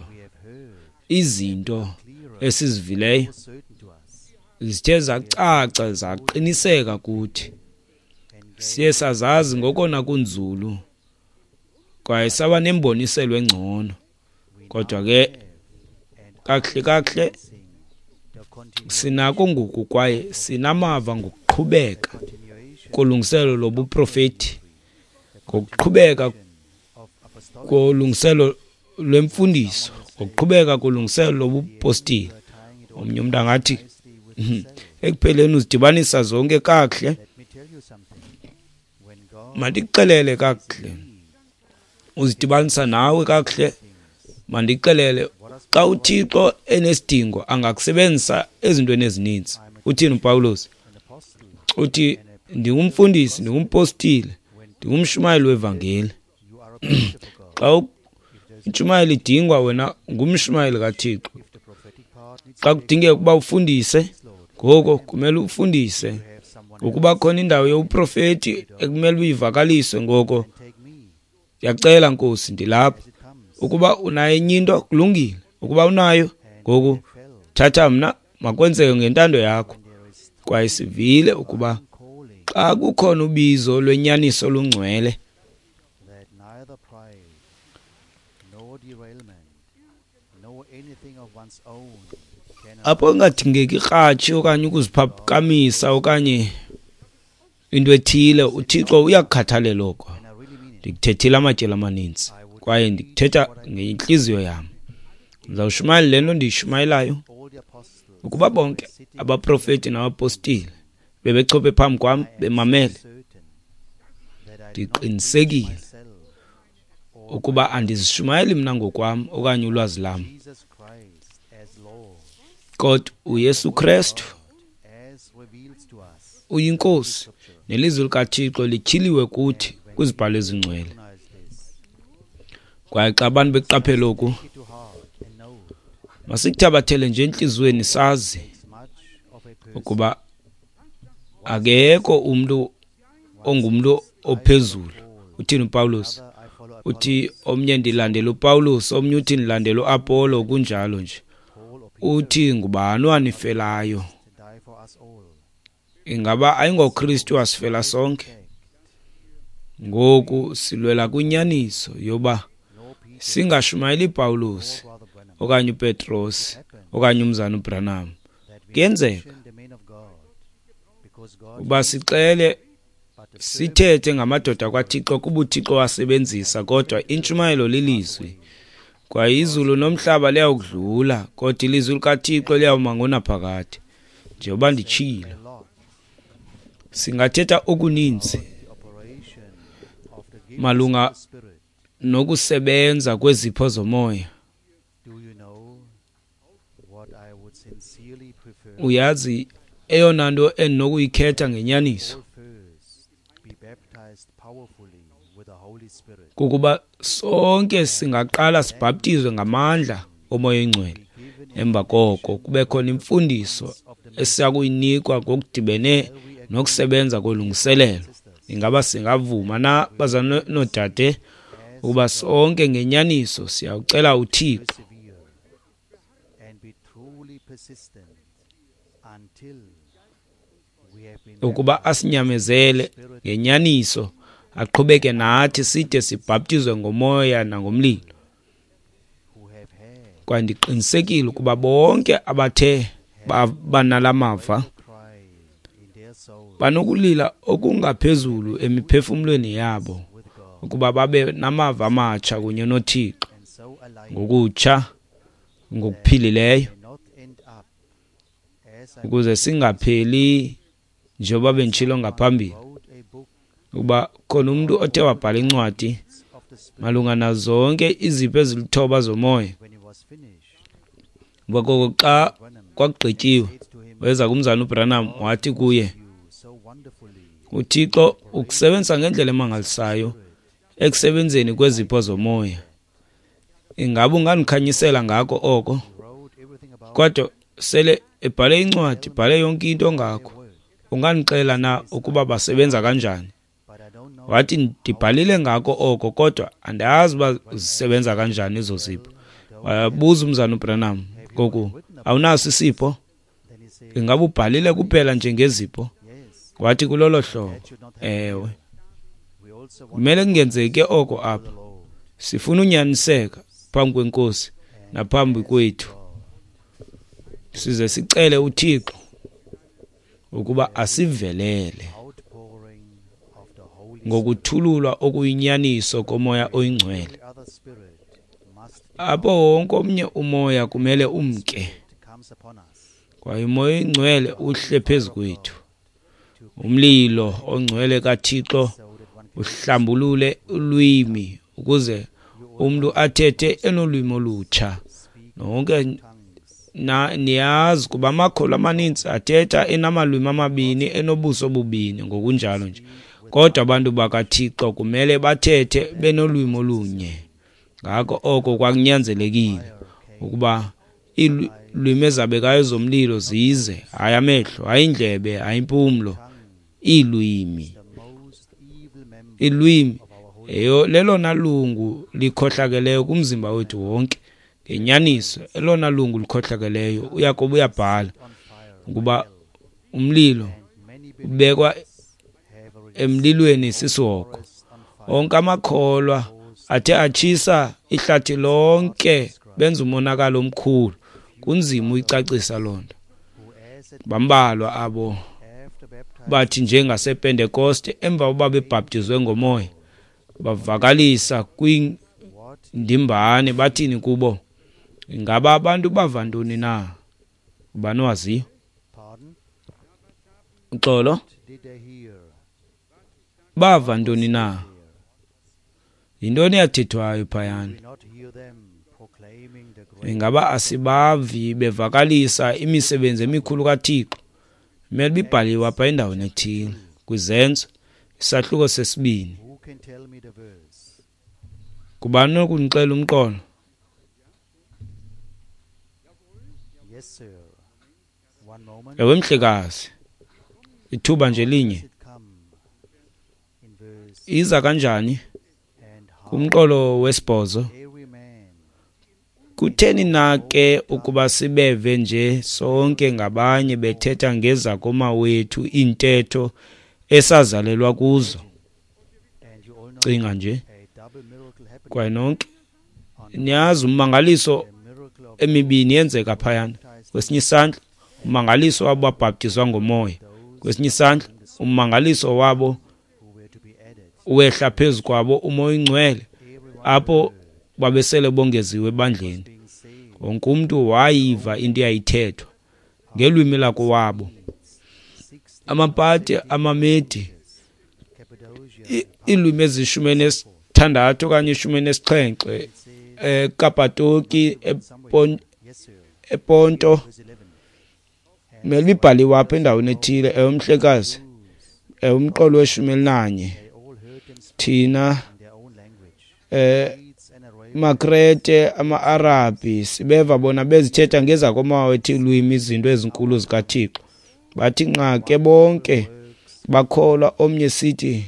izinto esizivileyo zithe zacaca zaqiniseka kuthi. Siye sazazi ngokona kunzulu kwaye saba nemboniselo engcono. Kodwa ke kakuhle kakuhle sinako ngoku kwaye sinamava ngokuqhubeka kolungiselo lobuprofeti, ngokuqhubeka kolungiselo lwemfundiso, ngokuqhubeka kolungiselo lobupostile. Omnye umntu angathi ekupheleni uzidibanisa zonke kakuhle. Mandikuxelele kakuhle, uzidibanisa nawe kakuhle. Mandikuxelele, xa uThixo enesidingo angakusebenzisa ezintweni ezininzi. Uthini uPawulos? Uthi ndingumfundisi, ndingumpostile, ndingumshumayeli wevangeli. Xa intshumayelo idingwa, wena ngumshumayeli kaThixo. Xa kudingeka ukuba ufundise, ngoko kumele ufundise. Ukuba khona indawo yobuprofeti ekumele uyivakalise, ngoko ndiyacela Nkosi, ndilapha. Ukuba unayo enye into, kulungile. Ukuba unayo, ngoku thatha mna, makwenzeke ngentando yakho. Kwaye sivile ukuba xa kukhona ubizo lwenyaniso olungcwele, apho ingadingeki ikratshi okanye ukuziphakamisa okanye into ethile, uThixo uyakukhathalela oko. Ndikuthethile amatyeli amaninzi kwaye ndikuthetha ngentliziyo yam. Ndizawushumayela le nto ndiyishumayelayo. Ukuba bonke abaprofeti nabapostile bebechophe phambi kwam bemamele, ndiqinisekile ukuba andizishumayeli mna ngokwam okanye ulwazi lam, kodwa uYesu Krestu uyiNkosi, nelizwi likaThixo lityhiliwe kuthi kwizibhalo ezingcwele. Kwaye xa abantu bekuqaphela oku, masikuthabathele nje entliziyweni sazi ukuba akekho umntu ongumntu ophezulu. Uthini uPawulos? Uthi omnye ndilandela uPawulos, omnye uthi ndilandela uApollo, kunjalo nje. Uthi ngubani owanifelayo? Ingaba ayingoKristu wasifela sonke? Ngoku silwela kwinyaniso yoba singashumayeli Pawulos okanye uPetros okanye umzana uBranham. Kuyenzeka uba sixele sithethe ngamadoda kwaThixo kuba uThixo wasebenzisa, kodwa intshumayelo lilizwi. Kwaye izulu nomhlaba liyawudlula, kodwa ilizwi likaThixo liyawuma ngonaphakade. Njengoba nditshilo, singathetha okuninzi malunga nokusebenza kwezipho zomoya. Uyazi eyona nto endinokuyikhetha ngenyaniso kukuba sonke singaqala sibhaptizwe ngamandla oMoya oyiNgcwele, emva koko kube khona imfundiso esiyakuyinikwa ngokudibene nokusebenza kolungiselelo. Ingaba singavuma na, bazalwane noodade, ukuba sonke ngenyaniso siyawucela uThixo ukuba asinyamezele ngenyaniso, aqhubeke nathi side sibhaptizwe ngomoya nangomlilo? Kwaye ndiqinisekile ukuba bonke abathe banala mava banokulila okungaphezulu emiphefumlweni yabo ukuba babe namava amatsha kunye noThixo ngokutsha, ngokuphilileyo, ukuze singapheli njengoba benditshilo ngaphambili ukuba khona umntu othe wabhala incwadi malunga nazonke izipho ezilithoba zomoya. Ngoko xa kwakugqityiwe, weza kumzana uBranham wathi kuye, uThixo ukusebenzisa ngendlela emangalisayo ekusebenzeni kwezipho zomoya. Ingaba ungandikhanyisela ngako oko? Kodwa sele ebhale incwadi, bhale yonke into ngakho. Ungandixela na ukuba basebenza kanjani? Wathi ndibhalile ngako oko, kodwa andazi uba zisebenza kanjani ezo zipho. Wabuza umzana uBranham, ngoku awunaso isipho? Ingaba ubhalile kuphela nje ngezipho? Wathi kulolo hlobo, ewe. Kumele kungenzeki oko apha. Sifuna unyaniseka phambi kweNkosi naphambi kwethu, size sicele uThixo ukuba asivelele ngokuthululwa okuyinyaniso koMoya oyiNgcwele. Apho wonke omnye umoya kumele umke, kwaye uMoya oyiNgcwele uhle phezu kwethu. Umlilo ongcwele kaThixo uhlambulule ulwimi ukuze umntu athethe enolwimi olutsha. Nonke niyazi kuba amakholwa amaninzi athetha enamalwimi amabini, enobuso bubini, ngokunjalo nje. Kodwa abantu bakaThixo kumele bathethe benolwimi olunye. Ngako oko kwakunyanzelekile ukuba iilwimi ezabekayo zomlilo zize, hayi amehlo, hayi indlebe, hayi impumlo, iilwimi. Ilwimi lelona lungu likhohlakeleyo kumzimba wethu wonke. Ngenyaniso, elona lungu likhohlakeleyo. UYakobi uyabhala ukuba umlilo ubekwa emlilweni sisihogo. Onke amakholwa athe atshisa ihlathi lonke benza umonakalo omkhulu. Kunzima uyicacisa loo nto. Bambalwa abo bathi njengasePentekoste emva kokuba bebhaptizwe ngomoya bavakalisa kwindimbane, bathini kubo? Ingaba abantu bava ntoni na? Ubani owaziyo? Uxolo. Bava ntoni na? Yintoni eyathethwayo phayana? Ingaba asibavi bevakalisa imisebenzi emikhulu kaThixo? Imele ibibhaliwe apha endaweni ethile kwiZenzo isahluko sesibini. Ngubani onokundixelela umqolo? Ewe, mhlekazi, ithuba nje linye. Iza kanjani kumqolo wesibhozo? Kutheni na ke ukuba sibeve nje sonke ngabanye bethetha ngezakomawethu iintetho esazalelwa kuzo? Cinga nje. Kwaye nonke niyazi ummangaliso emibini yenzeka phayana. Kwesinye isandla ummangaliso wabo babhaptizwa ngomoya, kwesinye isandla ummangaliso wabo wehla phezu kwabo umoya oyingcwele apho babesele bongeziwe ebandleni. Wonke umntu wayiva into eyayithethwa ngelwimi lakowabo. Amapati, amaMedi, iilwimi ezishumi-nesithandathu okanye 17, eKapatoki, ePonto, mele ibhaliwe apha endaweni ethile. Ewe, mhlekazi, umqolo we-11. Thina maKrete, ama-Arabhi, sibeva bona bezithetha ngezakomawethu iilwimi izinto ezinkulu zikaThixo. Bathi nqa ke bonke bakholwa omnye sithi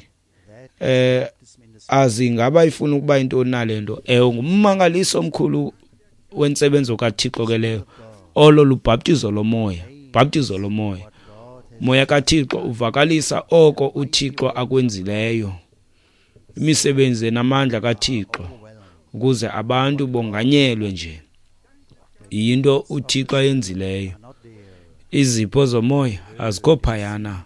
azi ingaba ifuna ukuba yintoni na le nto. Ewe, ngummangaliso omkhulu wentsebenzo kaThixo ke leyo. Olo lubhaptizo lomoya, bhaptizo lomoya. Moya kaThixo uvakalisa oko uThixo akwenzileyo, imisebenzi enamandla kaThixo, ukuze abantu bonganyelwe nje yinto uThixo ayenzileyo. Izipho zomoya azikho phayana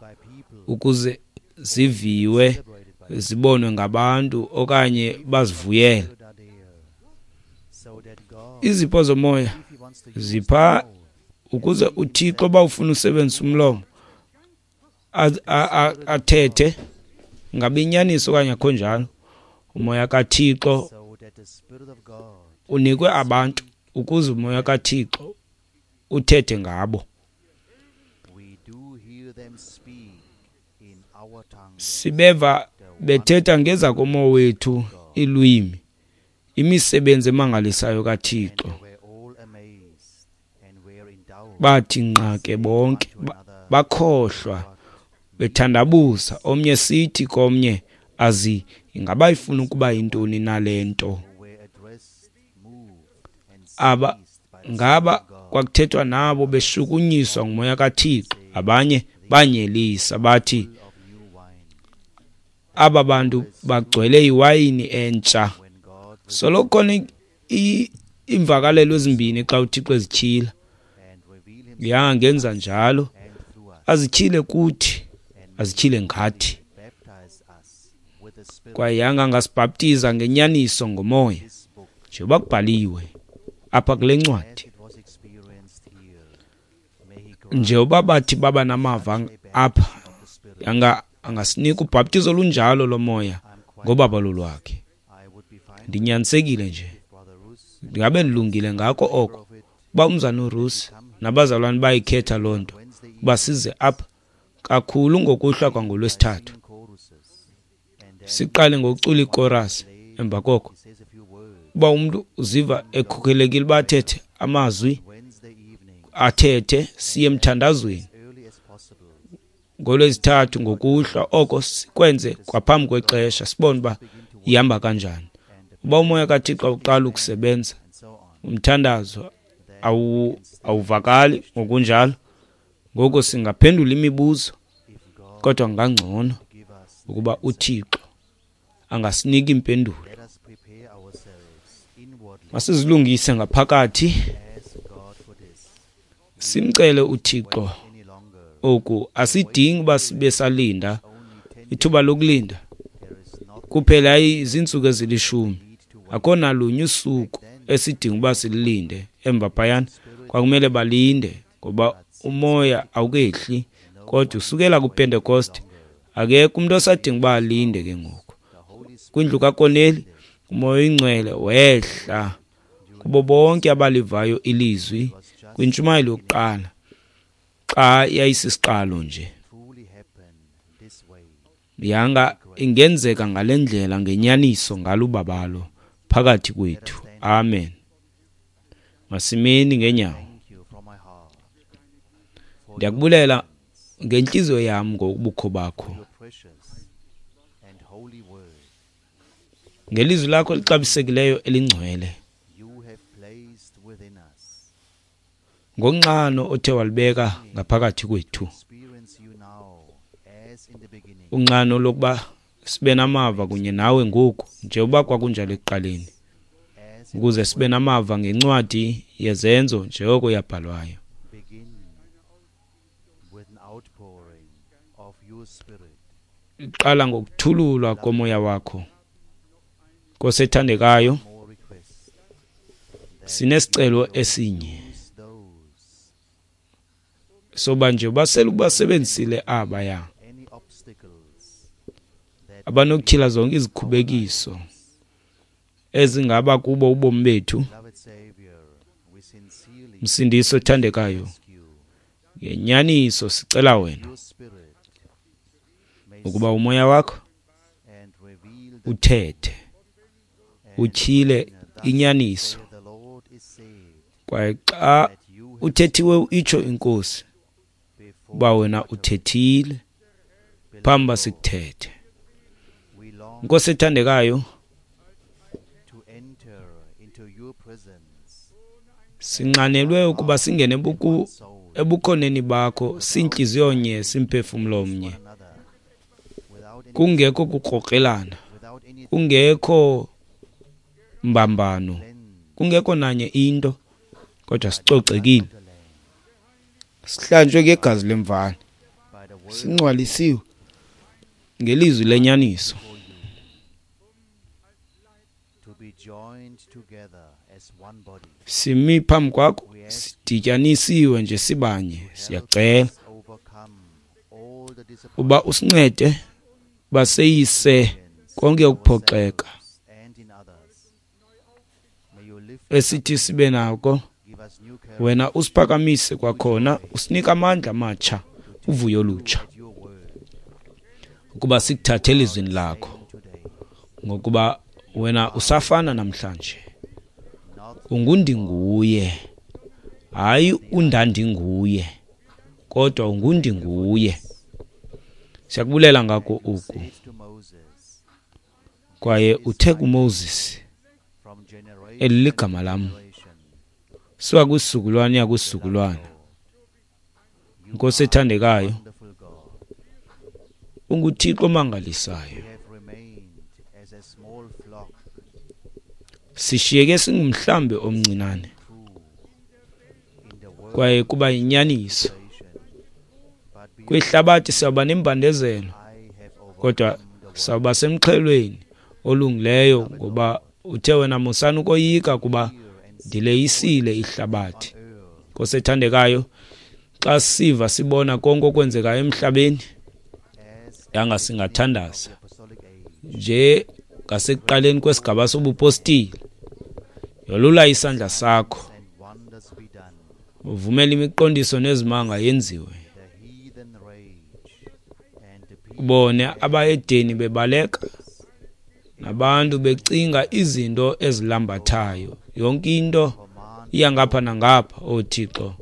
ukuze ziviwe, zibonwe ngabantu okanye bazivuyele. Izipho zomoya zipha ukuze uThixo bawufuna usebenzisa umlomo athethe, ngabe inyaniso okanye akho njalo. Umoya kaThixo unikwe abantu ukuze umoya kaThixo uthethe ngabo. Sibeva bethetha ngezakomowethu iilwimi, imisebenzi emangalisayo kaThixo. Bathi nqa ke bonke, bakhohlwa, bethandabuza, omnye sithi komnye, azi ingaba ifuna ukuba yintoni na le nto? Aba ngaba kwakuthethwa nabo beshukunyiswa ngumoya kaThixo. Abanye banyelisa bathi aba bantu bagcwele iwayini entsha. Soloko khona iimvakalelo ezimbini xa uThixo ezityhila. Yangenza njalo, azityhile kuthi, azityhile ngathi. Kwaye yanga angasibhaptiza ngenyaniso ngomoya, njengoba kubhaliwe apha kule ncwadi. Njengoba bathi baba namava apha, yanga angasinika ubhaptizo olunjalo lomoya ngobabalo lwakhe. Ndinyanisekile nje, ndingabe ndilungile ngako oko uba umzana uRusi nabazalwane bayikhetha loo nto uba size apha kakhulu ngokuhlwa kwangolwesithathu. Siqale ngokucula ikorasi, emva koko uba umntu uziva ekhokhelekile uba athethe amazwi, athethe, siye emthandazweni ngolwezithathu ngokuhlwa. Oko sikwenze kwaphambi kwexesha, sibone uba ihamba kanjani. Uba umoya kaThixo awuqala ukusebenza, umthandazo awuvakali ngokunjalo. Ngoko singaphendula imibuzo, kodwa kungangcono ukuba uThixo angasinika impendulo. Masizilungise ngaphakathi, simcele uThixo oku. Asidingi uba sibe salinda ithuba lokulinda kuphela iziintsuku ezilishumi. Akho nalunye usuku esidinga uba sililinde. Emva phayana kwakumele balinde. ngoba umoya awukehli, kodwa usukela kuPentecost akekho umuntu osadinga uba alinde ke ngoku. Kwindlu kaKorneli umoya oyingcwele wehla kubo bonke abalivayo ilizwi kwintshumayelo yokuqala xa yayisisiqalo nje. Yanga ingenzeka ngale ndlela ngenyaniso ngalubabalo phakathi kwethu. Amen. Masimeni ngenyawo. Ndiyakubulela ngentliziyo yam ngobukho bakho, ngelizwi lakho elixabisekileyo elingcwele, ngonxano othe walibeka ngaphakathi kwethu, unxano lokuba sibe namava kunye nawe ngoku njengoba kwakunjalo ekuqaleni, ukuze sibe namava ngencwadi yezenzo njengoko yabhalwayo. Iqala ngokuthululwa komoya wakho. Nkosi ethandekayo, sinesicelo esinye soba nje basele ukubasebenzisile abaya abanokutyhila zonke izikhubekiso ezingaba kubo ubomi bethu. Msindisi othandekayo, ngenyaniso sicela wena ukuba umoya wakho uthethe, utyhile inyaniso, kwaye xa uthethiwe itsho inkosi uba wena uthethile phambi uba sikuthethe. Nkosi ethandekayo, sinxanelwe ukuba singene ebukhoneni bakho sintliziyo nye, simphefumlo mnye, kungekho kukrokrelana, kungekho mbambano, kungekho nanye into, kodwa sicocekile, sihlanjwe ngegazi lemvana, singcwalisiwe ngelizwi lenyaniso. Simi phambi kwakho sidityanisiwe nje sibanye. Siyacela uba usincede baseyise konke ukuphoxeka esithi sibe nako. Wena usiphakamise kwakhona, usinike amandla amatsha, uvuyo olutsha, ukuba sikuthathe elizwini lakho, ngokuba wena usafana namhlanje. Ungundinguye, hayi undandinguye, kodwa ungundinguye. Siyakubulela ngako oku. Kwaye uthe kuMoses, eli ligama lam, suka kwisizukulwana uya kwisizukulwana. Nkosi ethandekayo, unguThixo omangalisayo. Sishiyeke singumhlambi omncinane, kwaye kuba yinyaniso kwihlabathi sawuba nembandezelo, kodwa sawuba semxhelweni olungileyo, ngoba uthe wena musani ukoyika kuba ndileyisile ihlabathi. Nkosi ethandekayo, xa siva sibona konke okwenzekayo emhlabeni, yanga singathandaza nje ngasekuqaleni kwesigaba sobupostile. Yolula isandla sakho, uvumele imiqondiso nezimanga yenziwe, ubone abayedeni bebaleka nabantu becinga izinto ezilambathayo. Yonke into iya ngapha nangapha. O Thixo,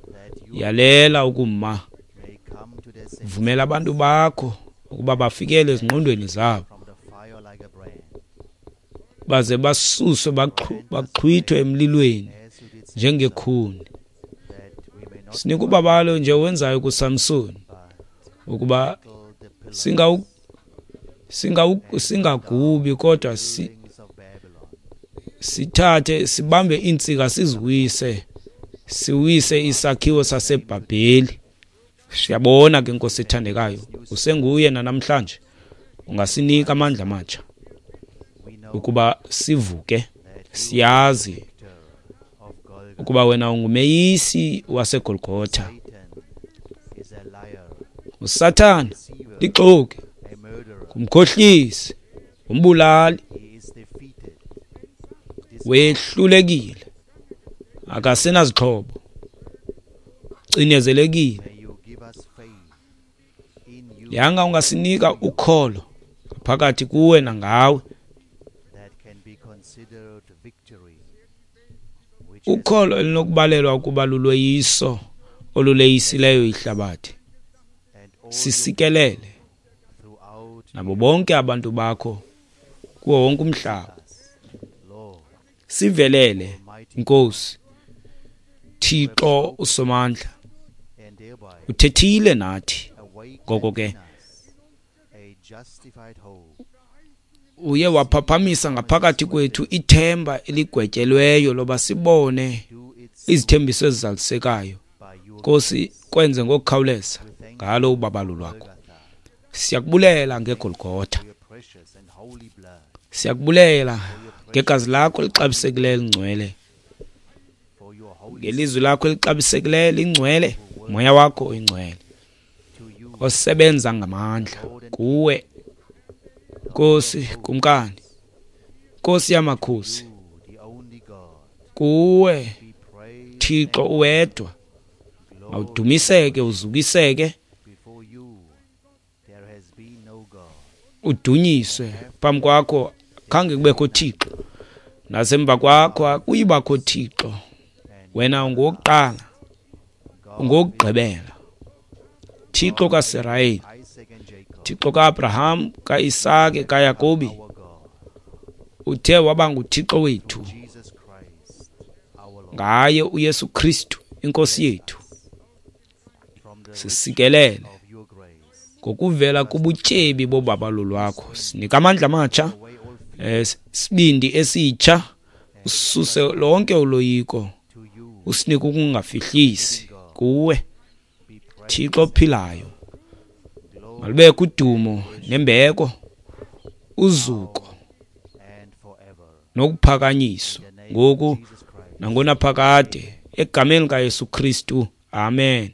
yalela ukuma, vumela abantu bakho ukuba bafikele ezingqondweni zabo, baze basuswe baxhwithwe emlilweni njengekhuni. Sinika ubabalo nje wenzayo kuSamson, ukuba singagubi, kodwa sithathe sibambe iintsika siziwise, siwise isakhiwo saseBhabheli. Siyabona ke Nkosi ethandekayo, usenguye namhlanje, ungasinika amandla amatsha ukuba sivuke. Siyazi ukuba wena ungumeyisi waseGolgotha. Usathana lixoki, ngumkhohlisi, umbulali, wehlulekile, akasenazixhobo, cinezelekile. Yanga ungasinika ukholo phakathi kuwe nangawe, ukholo elinokubalelwa ukuba lulweyiso oluleyisileyo ihlabathi. Sisikelele nabo bonke abantu bakho kuwo wonke umhlaba. Sivelele Nkosi Thixo uSomandla, uthethile nathi, ngoko ke uye waphaphamisa ngaphakathi kwethu ithemba eligwetyelweyo loba sibone izithembiso ezizalisekayo. Nkosi, kwenze ngokukhawuleza ngalo ubabalo lwakho. Siyakubulela ngeGolgotha, siyakubulela ngegazi lakho elixabisekileyo elingcwele, ngelizwi lakho elixabisekileyo lingcwele, moya wakho oyingcwele osebenza ngamandla kuwe Nkosi Kumkani, Nkosi yamakhosi, kuwe Thixo uwedwa mawudumiseke, uzukiseke, udunyiswe. Phambi kwakho khange kubekho Thixo, nasemva kwakho akuyibakho Thixo. Wena ungowokuqala, ungowokugqibela, Thixo kaSirayeli, Thixo kaAbraham, kaIsake, kaYakobi. Uthe waba nguThixo wethu ngaye uYesu Kristu inkosi yethu. Sisikelele ngokuvela kubutyebi bobabalo lwakho, sinika amandla amatsha, sibindi esitsha, ususe lonke uloyiko, usinike ukungafihlisi kuwe Thixo ophilayo. Malubekho udumo nembeko, uzuko nokuphakanyiswa ngoku nangonaphakade, egameni likaYesu Kristu. Amen.